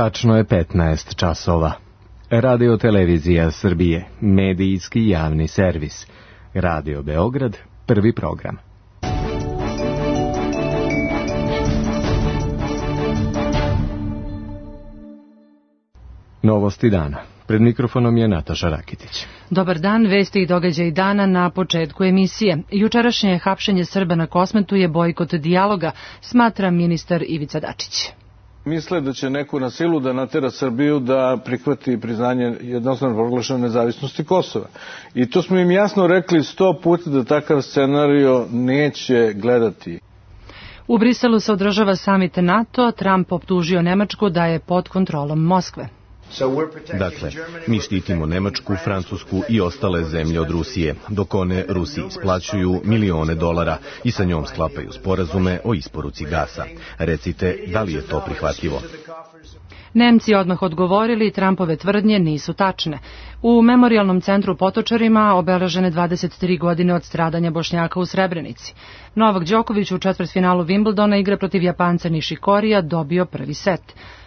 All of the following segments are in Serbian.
Tačno je 15 časova. Radio Televizija Srbije, medijski javni servis. Radio Beograd, prvi program. Novosti dana. Pred mikrofonom je Nataša Rakitić. Dobar dan, vesti i događaji dana na početku emisije. Jučerašnje hapšenje Srba na Kosmetu je bojkot dijaloga, smatra ministar Ivica Dačić. Misle da će neko na silu da natera Srbiju da prihvati priznanje jednostrano proglašene nezavisnosti Kosova. I to smo im jasno rekli 100 puta da takav scenario neće gledati. U Briselu se održava samit NATO, Trump optužio Nemačku da je pod kontrolom Moskve. Dakle, mi štitimo Nemačku, Francusku i ostale zemlje od Rusije, dok one Rusiji isplaćuju milione dolara i sa njom sklapaju sporazume o isporuci gasa. Recite, da li je to prihvatljivo? Nemci odmah odgovorili, Trumpove tvrdnje nisu tačne. U memorijalnom centru Potočarima obeležene 23 godine od stradanja Bošnjaka u Srebrenici. Novak Đoković u četvrtfinalu Wimbledona igra protiv Japanca Nishikorija, dobio prvi set.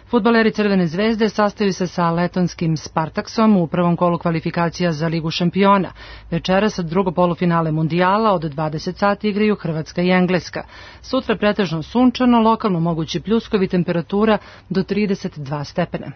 Fudbaleri Crvene zvezde sastaju se sa letonskim Spartaksom u prvom kolu kvalifikacija za Ligu šampiona. Večeras drugo polufinale mundijala od 20 sati igraju Hrvatska i Engleska. Sutra pretežno sunčano, lokalno mogući pljuskovi, temperatura do 32 stepena.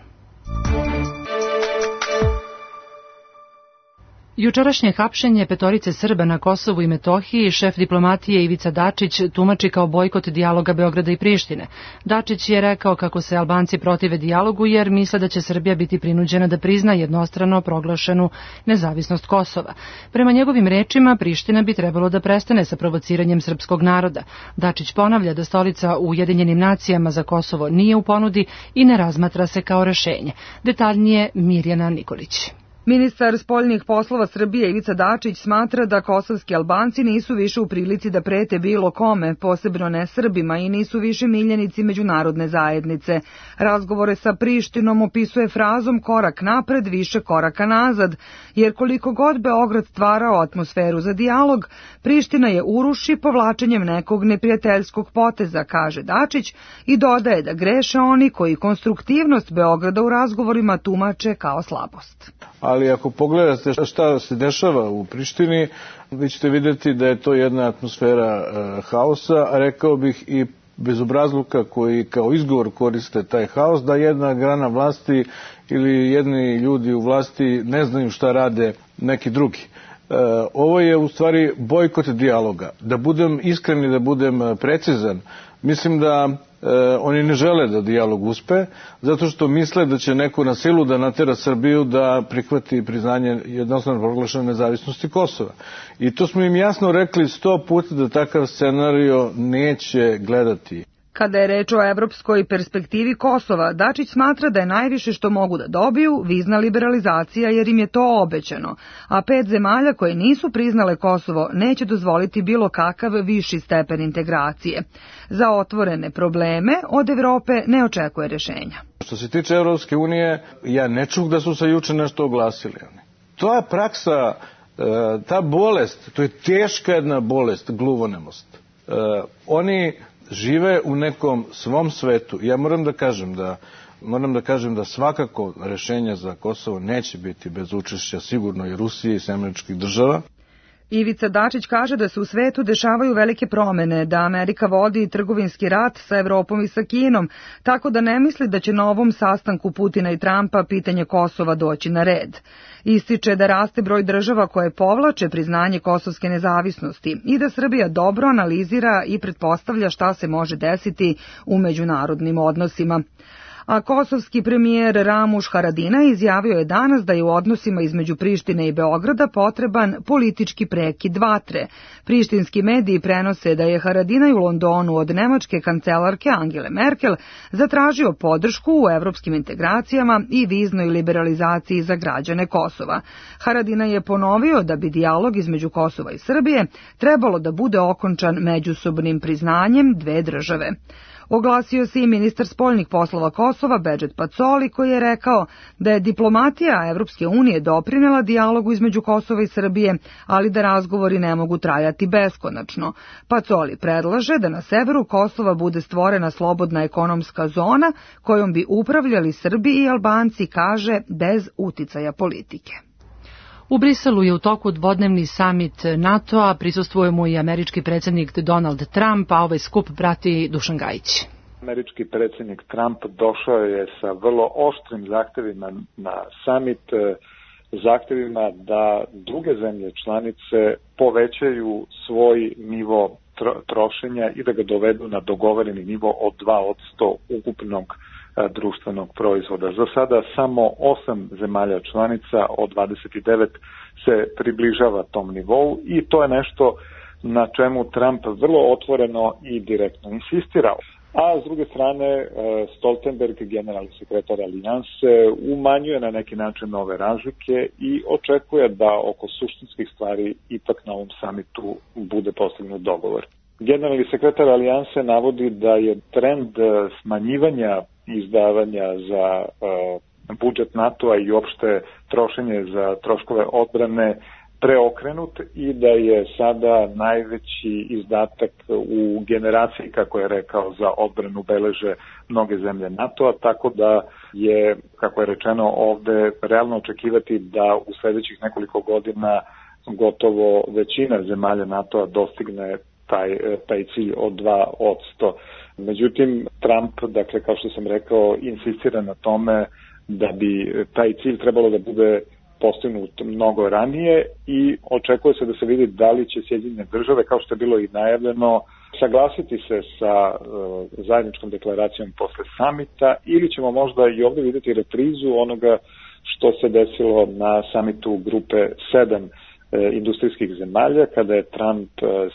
Jučerašnje hapšenje petorice Srba na Kosovu i Metohiji šef diplomatije Ivica Dačić tumači kao bojkot dijaloga Beograda i Prištine. Dačić je rekao kako se Albanci protive dijalogu jer misle da će Srbija biti prinuđena da prizna jednostrano proglašenu nezavisnost Kosova. Prema njegovim rečima, Priština bi trebalo da prestane sa provociranjem srpskog naroda. Dačić ponavlja da stolica u Ujedinjenim nacijama za Kosovo nije u ponudi i ne razmatra se kao rešenje. Detaljnije Mirjana Nikolić. Ministar spoljnih poslova Srbije Ivica Dačić smatra da kosovski Albanci nisu više u prilici da prete bilo kome, posebno ne Srbima, i nisu više miljenici međunarodne zajednice. Razgovore sa Prištinom opisuje frazom korak napred, više koraka nazad, jer koliko god Beograd stvarao atmosferu za dijalog, Priština je uruši povlačenjem nekog neprijateljskog poteza, kaže Dačić, i dodaje da greše oni koji konstruktivnost Beograda u razgovorima tumače kao slabost. Ali ako pogledate šta se dešava u Prištini, vi ćete vidjeti da je to jedna atmosfera haosa, a rekao bih i bezobrazluka koji kao izgovor koriste taj haos, da jedna grana vlasti ili jedni ljudi u vlasti ne znaju šta rade neki drugi. Ovo je u stvari bojkot dijaloga. Da budem iskren i da budem precizan, mislim da oni ne žele da dijalog uspe, zato što misle da će neko na silu da natera Srbiju da prihvati priznanje jednostrano proglašene nezavisnosti Kosova. I to smo im jasno rekli 100 puta da takav scenario neće gledati. Kada je reč o evropskoj perspektivi Kosova, Dačić smatra da je najviše što mogu da dobiju vizna liberalizacija jer im je to obećano, a 5 zemalja koje nisu priznale Kosovo neće dozvoliti bilo kakav viši stepen integracije. Za otvorene probleme od Evrope ne očekuje rješenja. Što se tiče Evropske unije, ja ne čuh da su se juče nešto oglasili. To je praksa, ta bolest, to je teška jedna bolest, gluvonemost. Oni žive u nekom svom svetu. Ja moram da kažem da svakako rešenja za Kosovo neće biti bez učešća sigurno i Rusije i Američkih država. Ivica Dačić kaže da se u svetu dešavaju velike promene, da Amerika vodi trgovinski rat sa Evropom i sa Kinom, tako da ne misli da će na ovom sastanku Putina i Trumpa pitanje Kosova doći na red. Ističe da raste broj država koje povlače priznanje kosovske nezavisnosti i da Srbija dobro analizira i pretpostavlja šta se može desiti u međunarodnim odnosima. A kosovski premijer Ramuš Haradinaj izjavio je danas da je u odnosima između Prištine i Beograda potreban politički prekid vatre. Prištinski mediji prenose da je Haradinaj u Londonu od nemačke kancelarke Angele Merkel zatražio podršku u evropskim integracijama i viznoj liberalizaciji za građane Kosova. Haradinaj je ponovio da bi dijalog između Kosova i Srbije trebalo da bude okončan međusobnim priznanjem dve države. Oglasio se i ministar spoljnih poslova Kosova Bedžet Pacoli, koji je rekao da je diplomatija Evropske unije doprinela dijalogu između Kosova i Srbije, ali da razgovori ne mogu trajati beskonačno. Pacoli predlaže da na severu Kosova bude stvorena slobodna ekonomska zona kojom bi upravljali Srbi i Albanci, kaže, bez uticaja politike. U Briselu je u toku dvodnevni samit NATO-a, prisustvuje mu i američki predsjednik Donald Trump, a ovaj skup prati Dušan Gajić. Američki predsjednik Trump došao je sa vrlo oštrim zahtevima na samit, zahtevima da druge zemlje članice povećaju svoj nivo trošenja i da ga dovedu na dogovoreni nivo od 2% ukupnog društvenog proizvoda. Za sada samo 8 zemalja članica od 29 se približava tom nivou i to je nešto na čemu Trump vrlo otvoreno i direktno insistirao. A s druge strane, Stoltenberg, generalni sekretar Alijanse, umanjuje na neki način ove razlike i očekuje da oko suštinskih stvari ipak na ovom samitu bude postignut dogovor. Generalni sekretar Alijanse navodi da je trend smanjivanja izdavanja za budžet NATO-a i opšte trošenje za troškove odbrane preokrenut i da je sada najveći izdatak u generaciji, kako je rekao, za odbranu beleže mnoge zemlje NATO-a, tako da je, kako je rečeno ovde, realno očekivati da u sledećih nekoliko godina gotovo većina zemalja NATO-a dostigne taj cilj od 2%. Međutim, Trump, dakle, kao što sam rekao, insistira na tome da bi taj cilj trebalo da bude postignut mnogo ranije i očekuje se da se vidi da li će Sjedinjene države, kao što je bilo i najavljeno, saglasiti se sa zajedničkom deklaracijom posle samita ili ćemo možda i ovde videti reprizu onoga što se desilo na samitu grupe 7 industrijskih zemalja, kada je Trump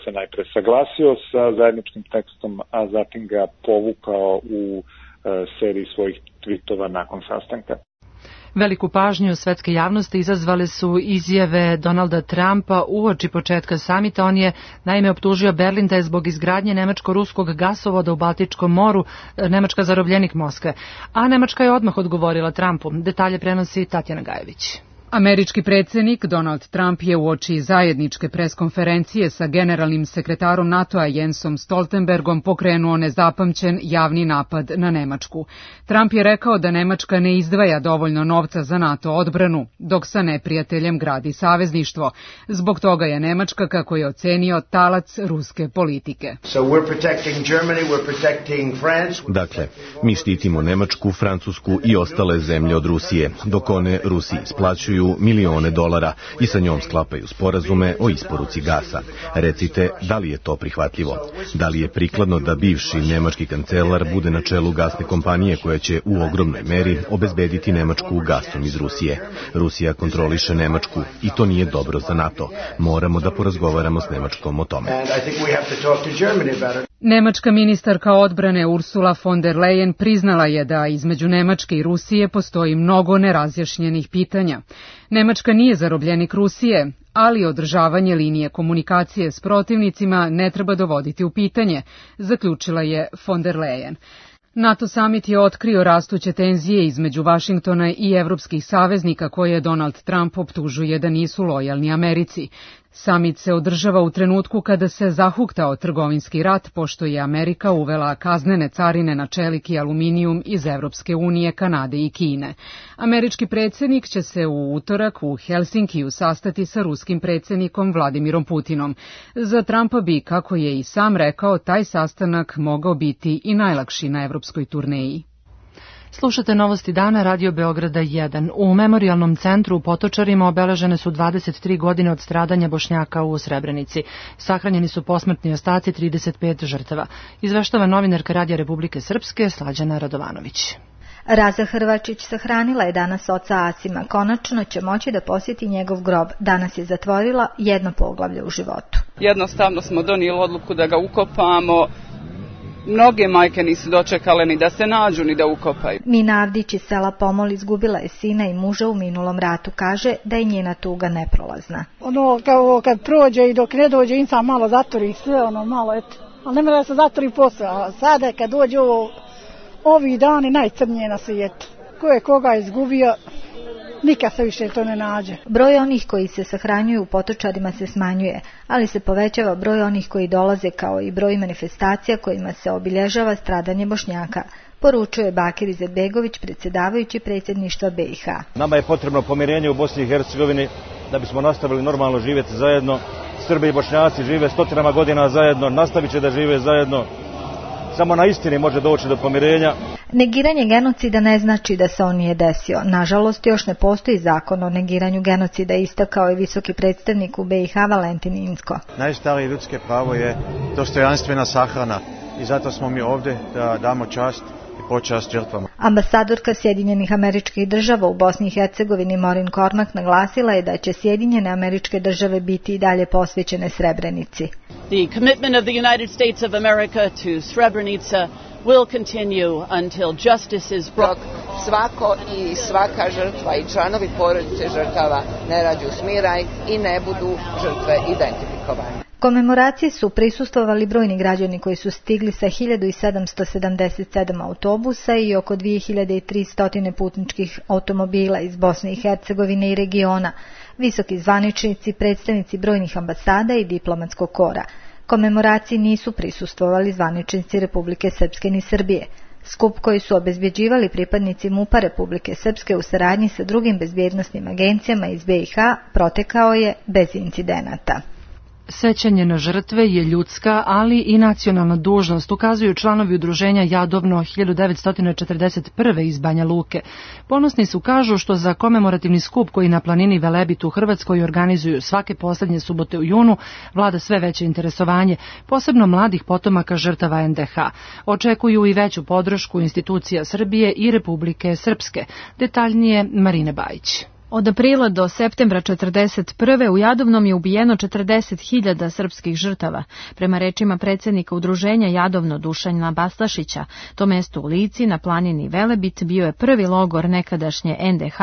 se najpre saglasio sa zajedničkim tekstom, a zatim ga povukao u seriji svojih tvitova nakon sastanka. Veliku pažnju svetske javnosti izazvale su izjave Donalda Trumpa uoči početka samita. On je naime optužio Berlin da je zbog izgradnje nemačko-ruskog gasovoda u Baltičkom moru Nemačka zarobljenik Moskve. A Nemačka je odmah odgovorila Trumpu. Detalje prenosi Tatjana Gajević. Američki predsjednik Donald Trump je uoči zajedničke preskonferencije sa generalnim sekretarom NATO-a Jensom Stoltenbergom pokrenuo nezapamćen javni napad na Nemačku. Trump je rekao da Nemačka ne izdvaja dovoljno novca za NATO odbranu, dok sa neprijateljem gradi savezništvo. Zbog toga je Nemačka, kako je ocenio, talac ruske politike. Dakle, mi štitimo Nemačku, Francusku i ostale zemlje od Rusije, dok one Rusiji isplaćuju milione dolara i sa njom sklapaju sporazume o isporuci gasa. Recite, da li je to prihvatljivo? Da li je prikladno da bivši nemački kancelar bude na čelu gasne kompanije koja će u ogromnoj meri obezbediti Nemačku gasom iz Rusije? Rusija kontroliše Nemačku i to nije dobro za NATO. Moramo da porazgovaramo s Nemačkom o tome. Nemačka ministarka odbrane Ursula von der Leyen priznala je da između Nemačke i Rusije postoji mnogo nerazjašnjenih pitanja. Nemačka nije zarobljenik Rusije, ali održavanje linije komunikacije s protivnicima ne treba dovoditi u pitanje, zaključila je von der Leyen. NATO samit je otkrio rastuće tenzije između Vašingtona i evropskih saveznika koje Donald Trump optužuje da nisu lojalni Americi. Samit se održava u trenutku kada se zahuktao trgovinski rat, pošto je Amerika uvela kaznene carine na čelik i aluminijum iz Evropske unije, Kanade i Kine. Američki predsjednik će se u utorak u Helsinkiju sastati sa ruskim predsjednikom Vladimirom Putinom. Za Trumpa bi, kako je i sam rekao, taj sastanak mogao biti i najlakši na evropskoj turneji. Slušate Novosti dana, Radio Beograda 1. U Memorijalnom centru u Potočarima obeležene su 23 godine od stradanja Bošnjaka u Srebrenici. Sahranjeni su posmrtni ostaci 35 žrtava. Izveštava novinarka Radija Republike Srpske Slađana Radovanović. Raza Hrvačić sahranila je danas oca Asima. Konačno će moći da posjeti njegov grob. Danas je zatvorila jedno poglavlje u životu. Jednostavno smo donijeli odluku da ga ukopamo. Mnoge majke nisu dočekale ni da se nađu, ni da ukopaju. Mina Avdić iz sela Pomol izgubila je sina i muža u minulom ratu. Kaže da je njena tuga neprolazna. Kad prođe i dok ne dođe, insan malo zatvori sve, malo eto. ali ne mora da se zatvori posao. A sada kad dođu ovi dani najcrnije na svijetu. Ko je koga izgubio, nikad se više to ne nađe. Broj onih koji se sahranjuju u Potočarima se smanjuje, ali se povećava broj onih koji dolaze kao i broj manifestacija kojima se obilježava stradanje Bošnjaka, poručuje Bakir Izetbegović, predsjedavajući predsjedništva BiH. Nama je potrebno pomirenje u Bosni i Hercegovini da bismo nastavili normalno živjeti zajedno. Srbi i Bošnjaci žive stotinama godina zajedno, nastavit će da žive zajedno. Samo na istini može doći do pomirenja. Negiranje genocida ne znači da se on nije desio. Nažalost, još ne postoji zakon o negiranju genocida, istakao je visoki predstavnik u BiH Valentin Inzko. Najstarije ljudske pravo je dostojanstvena sahrana i zato smo mi ovdje da damo čast i počast žrtvama. Ambasadorka Sjedinjenih Američkih Država u Bosni i Hercegovini Maureen Cormack naglasila je da će Sjedinjene Američke Države biti i dalje posvećene Srebrenici. The commitment of the United States of America to Srebrenica will continue until justice is brought. Svako i svaka žrtva i članovi porodice žrtava ne nađu smiraj i ne budu žrtve identifikovane. Komemoraciji su prisustvovali brojni građani koji su stigli sa 1777 autobusa i oko 2300 putničkih automobila iz Bosne i Hercegovine i regiona, visoki zvaničnici, predstavnici brojnih ambasada i diplomatskog kora. Komemoraciji nisu prisustvovali zvaničnici Republike Srpske ni Srbije. Skup koji su obezbjeđivali pripadnici MUP-a Republike Srpske u saradnji sa drugim bezbjednosnim agencijama iz BiH protekao je bez incidenata. Sećanje na žrtve je ljudska, ali i nacionalna dužnost, ukazuju članovi udruženja Jadovno 1941. iz Banja Luke. Ponosni su, kažu, što za komemorativni skup koji na planini Velebit u Hrvatskoj organizuju svake poslednje subote u junu vlada sve veće interesovanje, posebno mladih potomaka žrtava NDH. Očekuju i veću podršku institucija Srbije i Republike Srpske. Detaljnije Marine Bajić. Od aprila do septembra 1941. u Jadovnom je ubijeno 40.000 srpskih žrtava. Prema rečima predsjednika udruženja Jadovno Dušana Bastašića, to mesto u Lici na planini Velebit bio je prvi logor nekadašnje NDH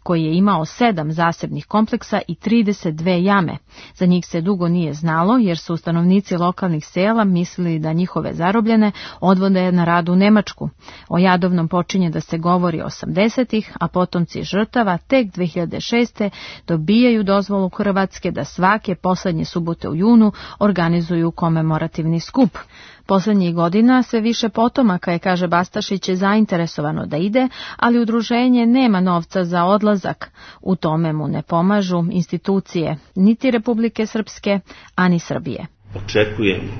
koji je imao 7 zasebnih kompleksa i 32 jame. Za njih se dugo nije znalo jer su stanovnici lokalnih sela mislili da njihove zarobljene odvode na rad u Nemačku. O Jadovnom počinje da se govori 80-ih, a potomci žrtava tek 2006. dobijaju dozvolu Hrvatske da svake poslednje subote u junu organizuju komemorativni skup. Poslednjih godina sve više potomaka je, kaže Bastašić, je zainteresovano da ide, ali udruženje nema novca za odlazak. U tome mu ne pomažu institucije, niti Republike Srpske, ani Srbije. Očekujemo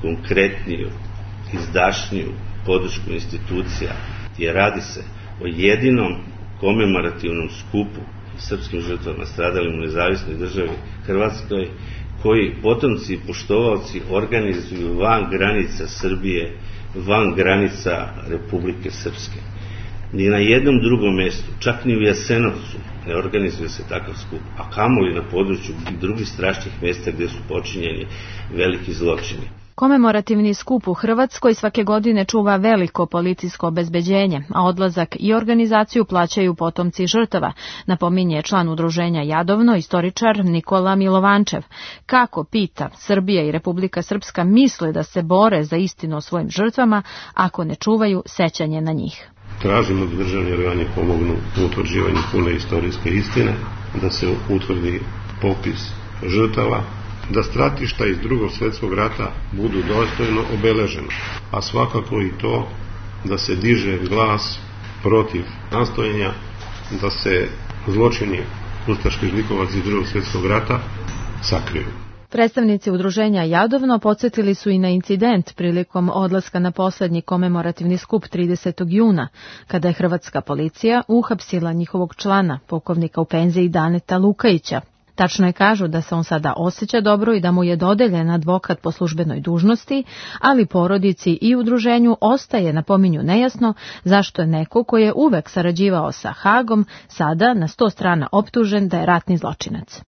konkretniju, izdašniju podršku institucija, jer radi se o jedinom komemorativnom skupu srpskim žrtvama stradalim u nezavisnoj državi Hrvatskoj, koji potomci i poštovalci organizuju van granica Srbije, van granica Republike Srpske. Ni na jednom drugom mjestu, čak ni u Jasenovcu, ne organizuje se takav skup, a kamoli na području drugih strašnih mjesta gdje su počinjeni veliki zločini. Komemorativni skup u Hrvatskoj svake godine čuva veliko policijsko obezbeđenje, a odlazak i organizaciju plaćaju potomci žrtava, napominje član udruženja Jadovno, istoričar Nikola Milovančev. Kako, pita, Srbija i Republika Srpska misle da se bore za istinu o svojim žrtvama ako ne čuvaju sećanje na njih? Tražimo da državni organi pomognu u utvrđivanju pune istorijske istine, da se utvrdi popis žrtava, da stratišta iz Drugog svjetskog rata budu dostojno obeležena, a svakako i to da se diže glas protiv nastojanja da se zločini ustaških zlikovaca iz Drugog svjetskog rata sakriju. Predstavnici udruženja Jadovno podsjetili su i na incident prilikom odlaska na posljednji komemorativni skup 30. juna, kada je hrvatska policija uhapsila njihovog člana, pukovnika u penziji Daneta Lukajića. Tačno je, kažu, da se on sada osjeća dobro i da mu je dodeljen advokat po službenoj dužnosti, ali porodici i udruženju ostaje, napominju, nejasno zašto je neko koji je uvek sarađivao sa Hagom sada na 100 strana optužen da je ratni zločinac.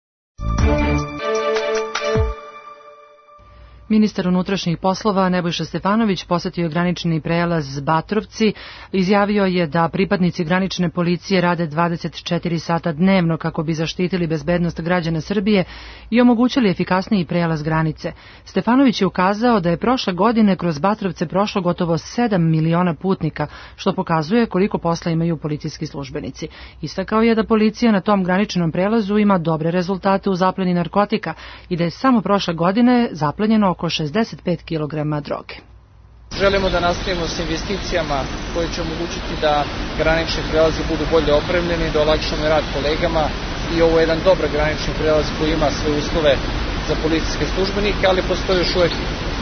Ministar unutrašnjih poslova Nebojša Stefanović posetio je granični prelaz Batrovci. Izjavio je da pripadnici granične policije rade 24 sata dnevno kako bi zaštitili bezbednost građana Srbije i omogućili efikasniji prelaz granice. Stefanović je ukazao da je prošle godine kroz Batrovce prošlo gotovo 7 miliona putnika, što pokazuje koliko posla imaju policijski službenici. Istakao je da policija na tom graničnom prelazu ima dobre rezultate u zapleni narkotika i da je samo prošle godine zaplenjeno oko 65 kg droge. Želimo da nastavimo s investicijama koje će omogućiti da granični prelazi budu bolje opremljeni, da olakšamo rad kolegama i ovo je jedan dobar granični prelaz koji ima sve uslove za policijske službenike, ali postoje još uvek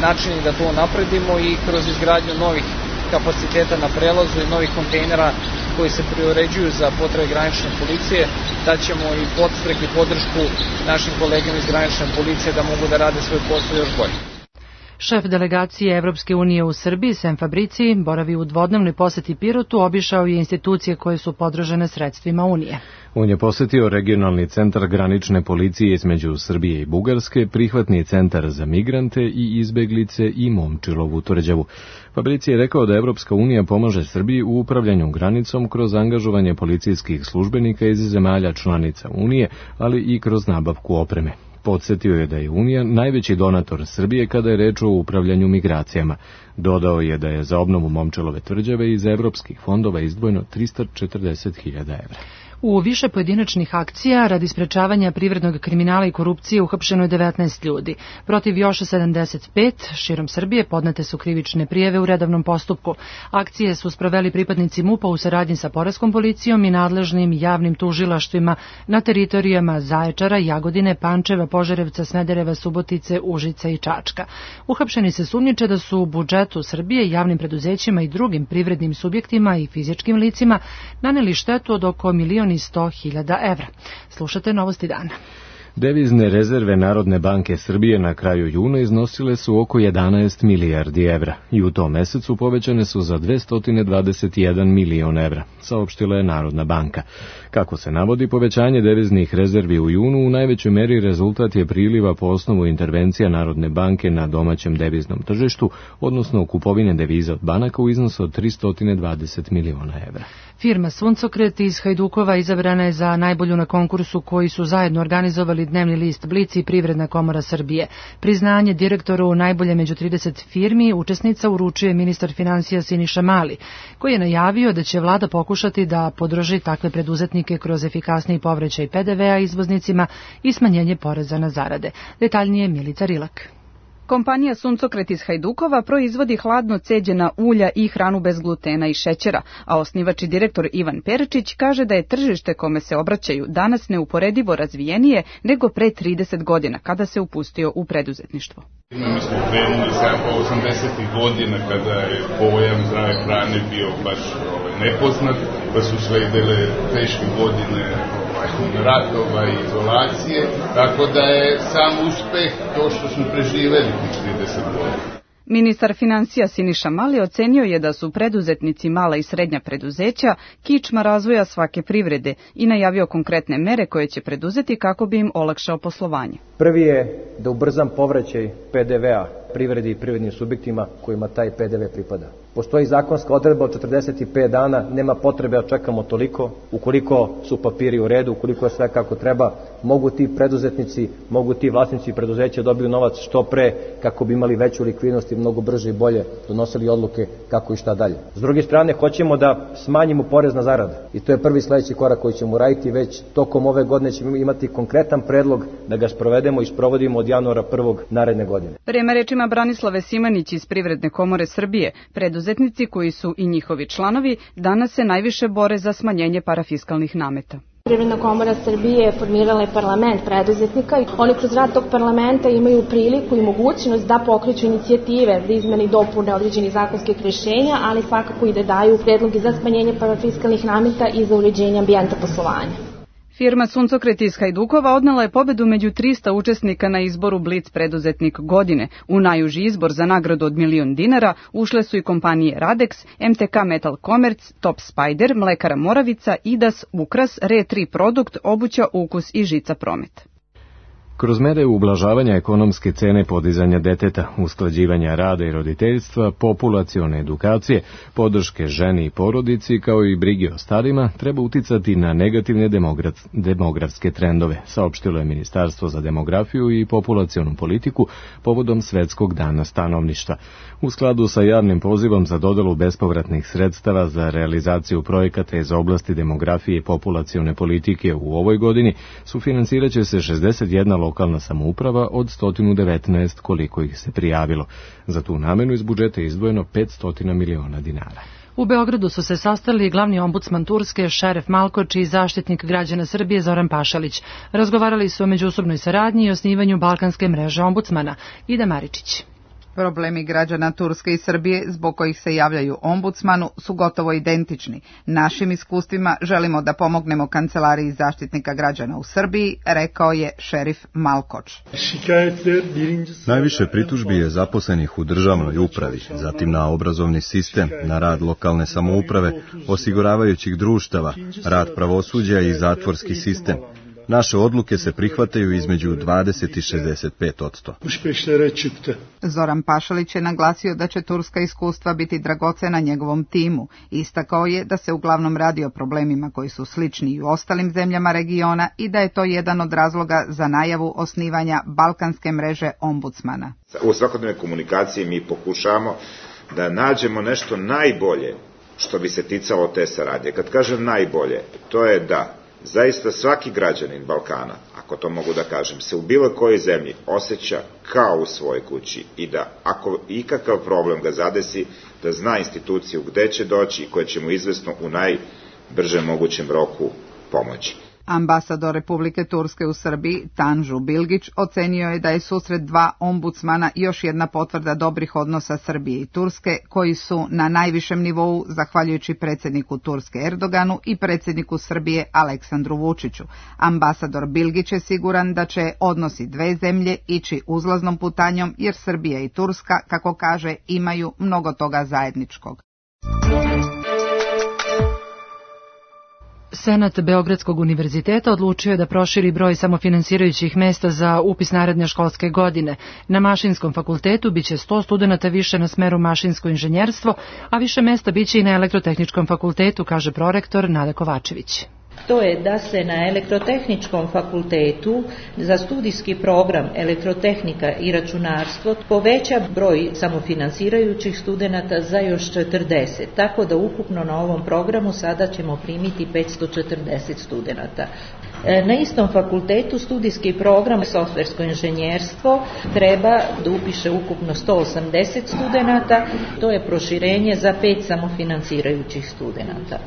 načini da to napredimo i kroz izgradnju novih kapaciteta na prelazu i novih kontejnera koji se preuređuju za potrebe granične policije, daćemo i podstrek i podršku našim kolegama iz granične policije da mogu da rade svoj posao još bolje. Šef delegacije Evropske unije u Srbiji, Sem Fabrici, boravi u dvodnevnoj poseti Pirotu, obišao je institucije koje su podržane sredstvima Unije. On je posetio regionalni centar granične policije između Srbije i Bugarske, prihvatni centar za migrante i izbeglice i Momčilovu tvrđavu. Fabrici je rekao da Evropska unija pomaže Srbiji u upravljanju granicom kroz angažovanje policijskih službenika iz zemalja članica Unije, ali i kroz nabavku opreme. Podsjetio je da je Unija najveći donator Srbije kada je reč o upravljanju migracijama. Dodao je da je za obnovu Momčilove tvrđave iz evropskih fondova izdvojeno 340.000 evra. U više pojedinačnih akcija radi sprečavanja privrednog kriminala i korupcije uhapšeno je 19 ljudi. Protiv još 75 širom Srbije podnete su krivične prijave u redovnom postupku. Akcije su sproveli pripadnici MUP-a u saradnji sa poreskom policijom i nadležnim javnim tužilaštvima na teritorijama Zaječara, Jagodine, Pančeva, Požarevca, Smedereva, Subotice, Užica i Čačka. Uhapšeni se sumnjiče da su u budžetu Srbije, javnim preduzećima i drugim privrednim subjektima i fizičkim licima naneli štetu od oko 1.100.000 evra. Slušate Novosti dana. Devizne rezerve Narodne banke Srbije na kraju juna iznosile su oko 11 milijardi evra i u tom mesecu povećane su za 221 milion evra, saopštila je Narodna banka. Kako se navodi, povećanje deviznih rezervi u junu u najvećoj meri rezultat je priliva po osnovu intervencija Narodne banke na domaćem deviznom tržištu, odnosno kupovine deviza od banaka u iznosu od 320 miliona evra. Firma Suncokret iz Hajdukova izabrana je za najbolju na konkursu koji su zajedno organizovali dnevni list Blic i Privredna komora Srbije. Priznanje direktoru najbolje među 30 firmi učesnica uručuje ministar finansija Siniša Mali, koji je najavio da će vlada pokušati da podrži takve preduzetnike kroz efikasniji povraćaj PDV-a izvoznicima i smanjenje poreza na zarade. Detaljnije Milica Rilak. Kompanija Suncokret iz Hajdukova proizvodi hladno ceđena ulja i hranu bez glutena i šećera, a osnivač i direktor Ivan Perčić kaže da je tržište kome se obraćaju danas neuporedivo razvijenije nego pre 30 godina kada se upustio u preduzetništvo. Mi smo krenuli samo 80. godina kada je pojam zdrave hrane bio baš nepoznat, pa su sledile teške godine ratova i izolacije, tako da je sam uspeh to što smo preživeli tih 30 godina. Ministar finansija Siniša Mali ocenio je da su preduzetnici mala i srednja preduzeća kičma razvoja svake privrede i najavio konkretne mere koje će preduzeti kako bi im olakšao poslovanje. Prvi je da ubrzam povraćaj PDV-a privredi i privrednim subjektima kojima taj PDV pripada. Postoji zakonska odredba od 45 dana, nema potrebe da čekamo toliko. Ukoliko su papiri u redu, ukoliko je sve kako treba, mogu ti preduzetnici, mogu ti vlasnici preduzeća dobiju novac što pre kako bi imali veću likvidnost i mnogo brže i bolje donosili odluke kako i šta dalje. S druge strane, hoćemo da smanjimo porez na zarade i to je prvi sledeći korak koji ćemo raditi. Već tokom ove godine ćemo imati konkretan predlog da ga sprovedemo i sprovodimo od januara 1. naredne godine. Prema rečima Branislave Simanić iz Privredne komore Srbije, preduzetnici koji su i njihovi članovi danas se najviše bore za smanjenje parafiskalnih nameta. Privredna komora Srbije je formirala je parlament preduzetnika i oni kroz rad tog parlamenta imaju priliku i mogućnost da pokreću inicijative za izmene i dopune određenih zakonskih rješenja, ali svakako i da daju predloge za smanjenje parafiskalnih nameta i za uređenje ambijenta poslovanja. Firma Suncokret iz Hajdukova odnela je pobedu među 300 učesnika na izboru Blic preduzetnik godine. U najuži izbor za nagradu od $1.000.000 ušle su i kompanije Radex, MTK Metal Commerce, Top Spider, Mlekara Moravica, Idas, Ukras, Re3 Produkt, Obuća, Ukus i Žica Promet. Kroz mere ublažavanja ekonomske cene podizanja deteta, usklađivanja rada i roditeljstva, populacione edukacije, podrške ženi i porodici, kao i brige o starima, treba uticati na negativne demografske trendove, saopštilo je Ministarstvo za demografiju i populacionu politiku povodom Svetskog dana stanovništva. U skladu sa javnim pozivom za dodelu bespovratnih sredstava za realizaciju projekata iz oblasti demografije i populacione politike u ovoj godini, sufinansiraće se 61 lokalna samouprava od 119 koliko ih se prijavilo. Za tu namenu iz budžeta je izdvojeno 500 miliona dinara. U Beogradu su se sastali glavni ombudsman Turske, Šeref Malkoč i zaštitnik građana Srbije Zoran Pašalić. Razgovarali su o međusobnoj saradnji i osnivanju Balkanske mreže ombudsmana. Ida Maričić. Problemi građana Turske i Srbije zbog kojih se javljaju ombudsmanu su gotovo identični. Našim iskustvima želimo da pomognemo Kancelariji zaštitnika građana u Srbiji, rekao je Šerif Malkoč. Najviše pritužbi je zaposlenih u državnoj upravi, zatim na obrazovni sistem, na rad lokalne samouprave, osiguravajućih društava, rad pravosuđa i zatvorski sistem. Naše odluke se prihvataju između 20 i 65%. Zoran Pašalić je naglasio da će turska iskustva biti dragocena njegovom timu. Istakao je da se uglavnom radi o problemima koji su slični i u ostalim zemljama regiona i da je to jedan od razloga za najavu osnivanja Balkanske mreže ombudsmana. U svakodnevnoj komunikaciji mi pokušamo da nađemo nešto najbolje što bi se ticalo te saradnje. Kad kažem najbolje, to je da zaista svaki građanin Balkana, ako to mogu da kažem, se u bilo kojoj zemlji osjeća kao u svojoj kući i da ako ikakav problem ga zadesi, da zna instituciju gde će doći i koja će mu izvesno u najbržem mogućem roku pomoći. Ambasador Republike Turske u Srbiji, Tanju Bilgić, ocenio je da je susret dva ombudsmana još jedna potvrda dobrih odnosa Srbije i Turske, koji su na najvišem nivou zahvaljujući predsjedniku Turske Erdoganu i predsjedniku Srbije Aleksandru Vučiću. Ambasador Bilgić je siguran da će odnosi dve zemlje ići uzlaznom putanjom, jer Srbija i Turska, kako kaže, imaju mnogo toga zajedničkog. Senat Beogradskog univerziteta odlučio je da proširi broj samofinansirajućih mesta za upis naredne školske godine. Na Mašinskom fakultetu biće 100 studenata više na smeru mašinsko inženjerstvo, a više mesta biće i na Elektrotehničkom fakultetu, kaže prorektor Nada Kovačević. To je da se na Elektrotehničkom fakultetu za studijski program Elektrotehnika i računarstvo poveća broj samofinansirajućih studenata za još 40, tako da ukupno na ovom programu sada ćemo primiti 540 studenata. Na istom fakultetu studijski program softversko inženjerstvo treba da upiše ukupno 180 studenata, to je proširenje za 5 samofinansirajućih studenata.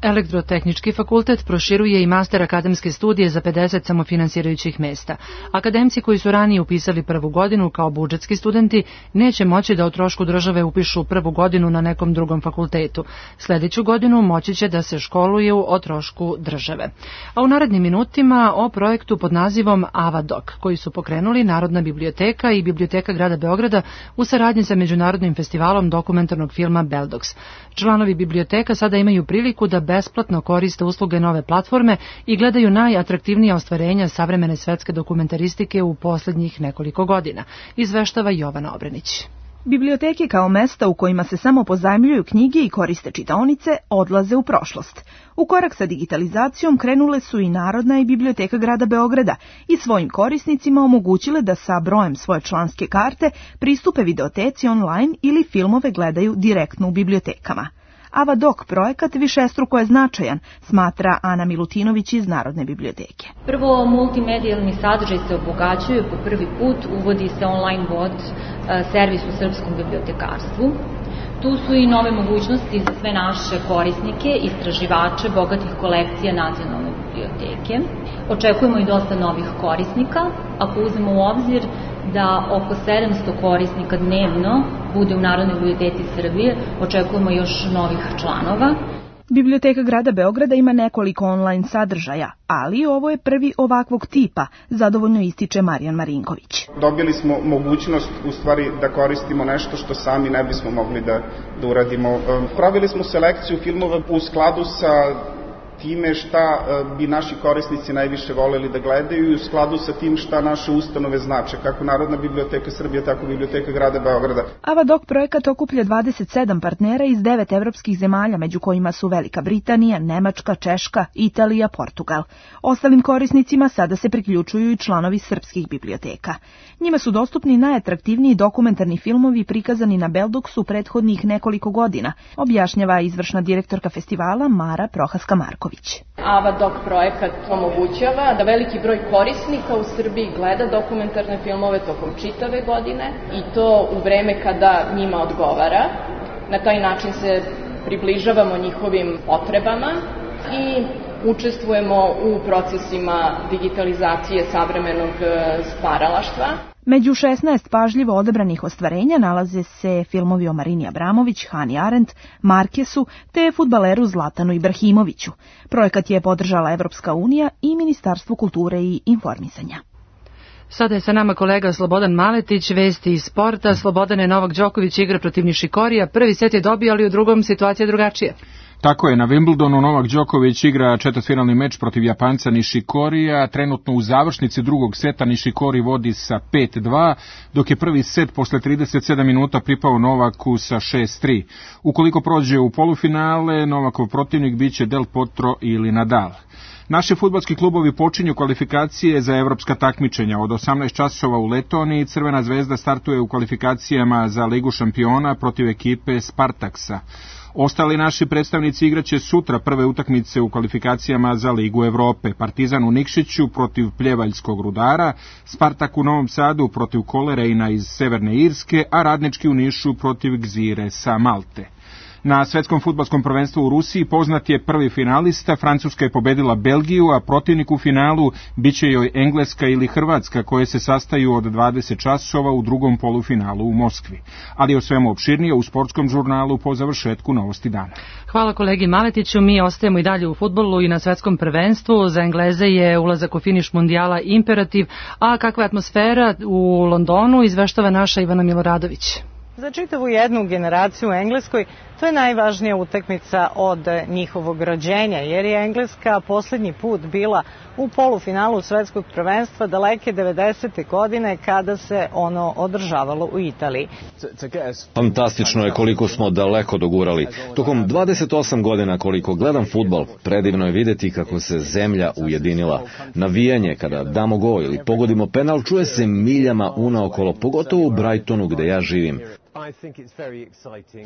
Elektrotehnički fakultet proširuje i master akademske studije za 50 samofinansirajućih mesta. Akademci koji su ranije upisali prvu godinu kao budžetski studenti neće moći da o trošku države upišu prvu godinu na nekom drugom fakultetu. Sljedeću godinu moći će da se školuju o trošku države. A u narednim minutima o projektu pod nazivom AvaDoc, koji su pokrenuli Narodna biblioteka i Biblioteka grada Beograda u saradnji sa Međunarodnim festivalom dokumentarnog filma Beldox. Članovi biblioteka sada imaju priliku da besplatno koriste usluge nove platforme i gledaju najatraktivnija ostvarenja savremene svetske dokumentaristike u posljednjih nekoliko godina, izveštava Jovana Obrenić. Biblioteke kao mesta u kojima se samo pozajmljuju knjige i koriste čitaonice odlaze u prošlost. U korak sa digitalizacijom krenule su i Narodna i Biblioteka grada Beograda i svojim korisnicima omogućile da sa brojem svoje članske karte pristupe videoteci online ili filmove gledaju direktno u bibliotekama. AvaDoc projekat višestruko je značajan, smatra Ana Milutinović iz Narodne biblioteke. Prvo, multimedijalni sadržaj se obogaćuje po prvi put, uvodi se online bot servis u srpskom bibliotekarstvu. Tu su i nove mogućnosti za sve naše korisnike, istraživače bogatih kolekcija Nacionalne biblioteke. Očekujemo i dosta novih korisnika, ako uzmemo u obzir da oko 700 korisnika dnevno bude u Narodnoj biblioteci Srbije, očekujemo još novih članova. Biblioteka grada Beograda ima nekoliko online sadržaja, ali ovo je prvi ovakvog tipa, zadovoljno ističe Marijan Marinković. Dobili smo mogućnost u stvari da koristimo nešto što sami ne bismo mogli da uradimo. Pravili smo selekciju filmova u skladu sa time šta bi naši korisnici najviše voljeli da gledaju i u skladu sa tim šta naše ustanove znače, kako Narodna biblioteka Srbije, tako i Biblioteka grada Beograda. Avadoc projekat okuplja 27 partnera iz 9 evropskih zemalja, među kojima su Velika Britanija, Nemačka, Češka, Italija, Portugal. Ostalim korisnicima sada se priključuju i članovi srpskih biblioteka. Njima su dostupni najatraktivniji dokumentarni filmovi prikazani na Beldoksu prethodnih nekoliko godina, objašnjava izvršna direktorka festivala Mara Prohaska-Marković. Avadoc projekat omogućava da veliki broj korisnika u Srbiji gleda dokumentarne filmove tokom čitave godine i to u vreme kada njima odgovara. Na taj način se približavamo njihovim potrebama i učestvujemo u procesima digitalizacije savremenog stvaralaštva. Među 16 pažljivo odabranih ostvarenja nalaze se filmovi o Marini Abramović, Hani Arendt, Markesu te fudbaleru Zlatanu Ibrahimoviću. Projekat je podržala Evropska unija i Ministarstvo kulture i informisanja. Sada je sa nama kolega Slobodan Maletić, vesti iz sporta. Slobodane, Novak Đoković igra protiv Nišikorija. Prvi set je dobio, ali u drugom situacija drugačije. Tako je, na Wimbledonu Novak Đoković igra četvrtfinalni meč protiv Japanca Nišikorija. Trenutno u završnici drugog seta Nišikori vodi sa 5-2, dok je prvi set posle 37 minuta pripao Novaku sa 6-3. Ukoliko prođe u polufinale, Novakov protivnik biće Del Potro ili Nadal. Naši fudbalski klubovi počinju kvalifikacije za evropska takmičenja. Od 18 časova u Letoniji Crvena zvezda startuje u kvalifikacijama za Ligu šampiona protiv ekipe Spartaksa. Ostali naši predstavnici igraće sutra prve utakmice u kvalifikacijama za Ligu Evrope. Partizan u Nikšiću protiv Pljevaljskog Rudara, Spartak u Novom Sadu protiv Kolerejna iz Severne Irske, a Radnički u Nišu protiv Gzire sa Malte. Na svetskom fudbalskom prvenstvu u Rusiji poznat je prvi finalista. Francuska je pobedila Belgiju, a protivnik u finalu biće joj Engleska ili Hrvatska, koje se sastaju od 20 časova u drugom polufinalu u Moskvi. Ali o svemu opširnije u sportskom žurnalu po završetku Novosti dana. Hvala kolegi Maletiću. Mi ostajemo i dalje u fudbalu i na svetskom prvenstvu. Za Engleze je ulazak u finiš mundijala imperativ, a kakva je atmosfera u Londonu izveštava naša Ivana Miloradović. Za čitavu jednu generaciju u Engleskoj to je najvažnija utakmica od njihovog rođenja, jer je Engleska poslednji put bila u polufinalu svetskog prvenstva daleke 90. godine kada se ono održavalo u Italiji. Fantastično je koliko smo daleko dogurali. Tokom 28 godina koliko gledam fudbal, predivno je videti kako se zemlja ujedinila. Navijanje kada damo gol ili pogodimo penal čuje se miljama unaokolo, pogotovo u Brightonu gde ja živim.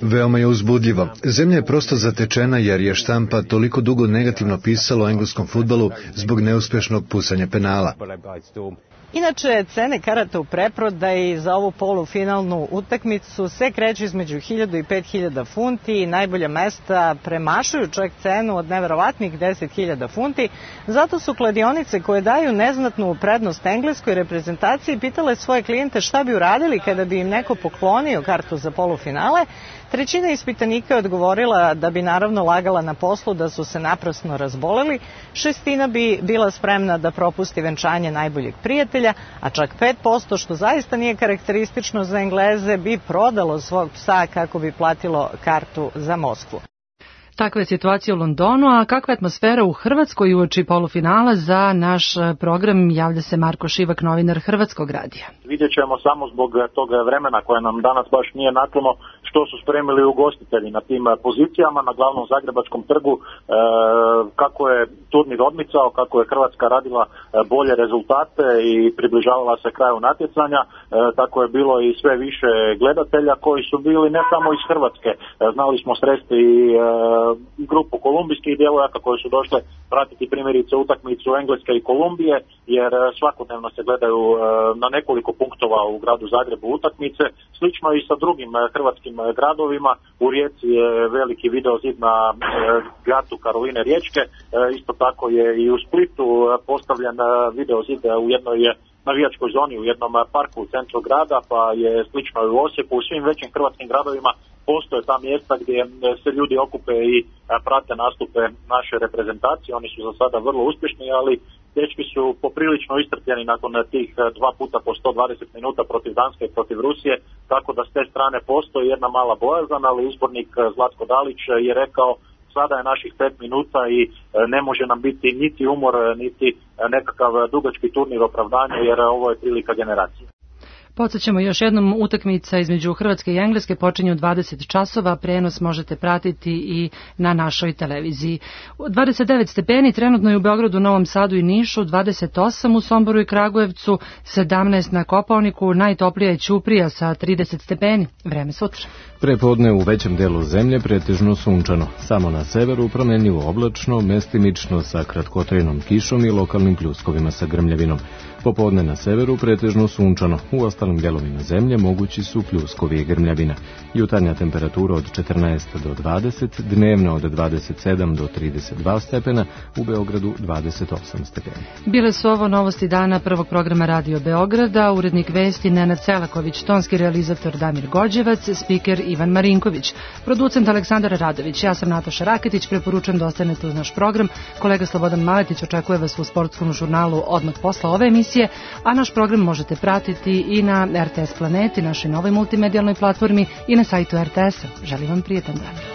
Veoma je uzbudljivo. Zemlja je prosto zatečena jer je štampa toliko dugo negativno pisalo o engleskom fudbalu zbog neuspešnog pusanja penala. Inače, cene karata u preprodaji za ovu polufinalnu utakmicu se kreću između 1000 i 5000 funti i najbolja mesta premašuju čak cenu od neverovatnih 10.000 funti. Zato su kladionice koje daju neznatnu prednost engleskoj reprezentaciji pitale svoje klijente šta bi uradili kada bi im neko poklonio kartu za polufinale. Trećina ispitanika je odgovorila da bi naravno lagala na poslu, da su se naprasno razboleli. 1/6 bi bila spremna da propusti venčanje najboljeg prijatelja, a čak 5%, što zaista nije karakteristično za Engleze, bi prodalo svog psa kako bi platilo kartu za Moskvu. Takva je situacija u Londonu, a kakva je atmosfera u Hrvatskoj uoči polufinala? Za naš program javlja se Marko Šivak, novinar Hrvatskog radija. Vidjet ćemo samo zbog tog vremena koje nam danas baš nije naklono što su spremili ugostitelji na tim pozicijama na glavnom Zagrebačkom trgu, kako je turnir odmicao, kako je Hrvatska radila bolje rezultate i približavala se kraju natjecanja, tako je bilo i sve više gledatelja koji su bili ne samo iz Hrvatske. Znali smo sresti i grupu kolumbijskih djevojaka koje su došle pratiti primjerice utakmicu Engleske i Kolumbije, jer svakodnevno se gledaju na nekoliko punktova u gradu Zagrebu utakmice. Slično i sa drugim hrvatskim gradovima. U Rijeci je veliki videozid na gatu Karoline Riječke. Isto tako je i u Splitu postavljen videozid u jednoj navijačkoj zoni u jednom parku u centru grada, pa je slično i u Osijeku. U svim većim hrvatskim gradovima postoje ta mjesta gdje se ljudi okupe i prate nastupe naše reprezentacije. Oni su za sada vrlo uspješni, ali dečki su poprilično istrpljeni nakon tih 2 puta po 120 minuta protiv Danske i protiv Rusije, tako da s te strane postoji jedna mala bojazan, ali izbornik Zlatko Dalić je rekao sada je naših 5 minuta i ne može nam biti niti umor, niti nekakav dugački turnir opravdanja, jer ovo je prilika generacije. Podsjećamo još jednom, utakmica između Hrvatske i Engleske počinje u 20 časova, prenos možete pratiti i na našoj televiziji. 29 stepeni trenutno je u Beogradu, Novom Sadu i Nišu, 28 u Somboru i Kragujevcu, 17 na Kopaoniku, najtoplija je Ćuprija sa 30 stepeni. Vreme sutra. Prepodne u većem delu zemlje pretežno sunčano, samo na severu promenljivo oblačno, mestimično sa kratkotrajnom kišom i lokalnim pljuskovima sa grmljavinom. Popodne na severu pretežno sunčano, u ostalim delovima zemlje mogući su pljuskovi i grmljavina. Jutarnja temperatura od 14 do 20, dnevna od 27 do 32 stepena, u Beogradu 28 stepeni. Bile su ovo novosti dana prvog programa Radio Beograda, urednik vesti Nenad Selaković, tonski realizator Damir Gođevac, spiker Ivan Marinković, producent Aleksandar Radović, ja sam Nataša Raketić, preporučujem da ostanete uz naš program. Kolega Slobodan Maletić očekuje vas u sportskom žurnalu odmah posle ove emisije, a naš program možete pratiti i na RTS Planeti, našoj novoj multimedijalnoj platformi, i na sajtu RTS-a. Želim vam prijetan dan.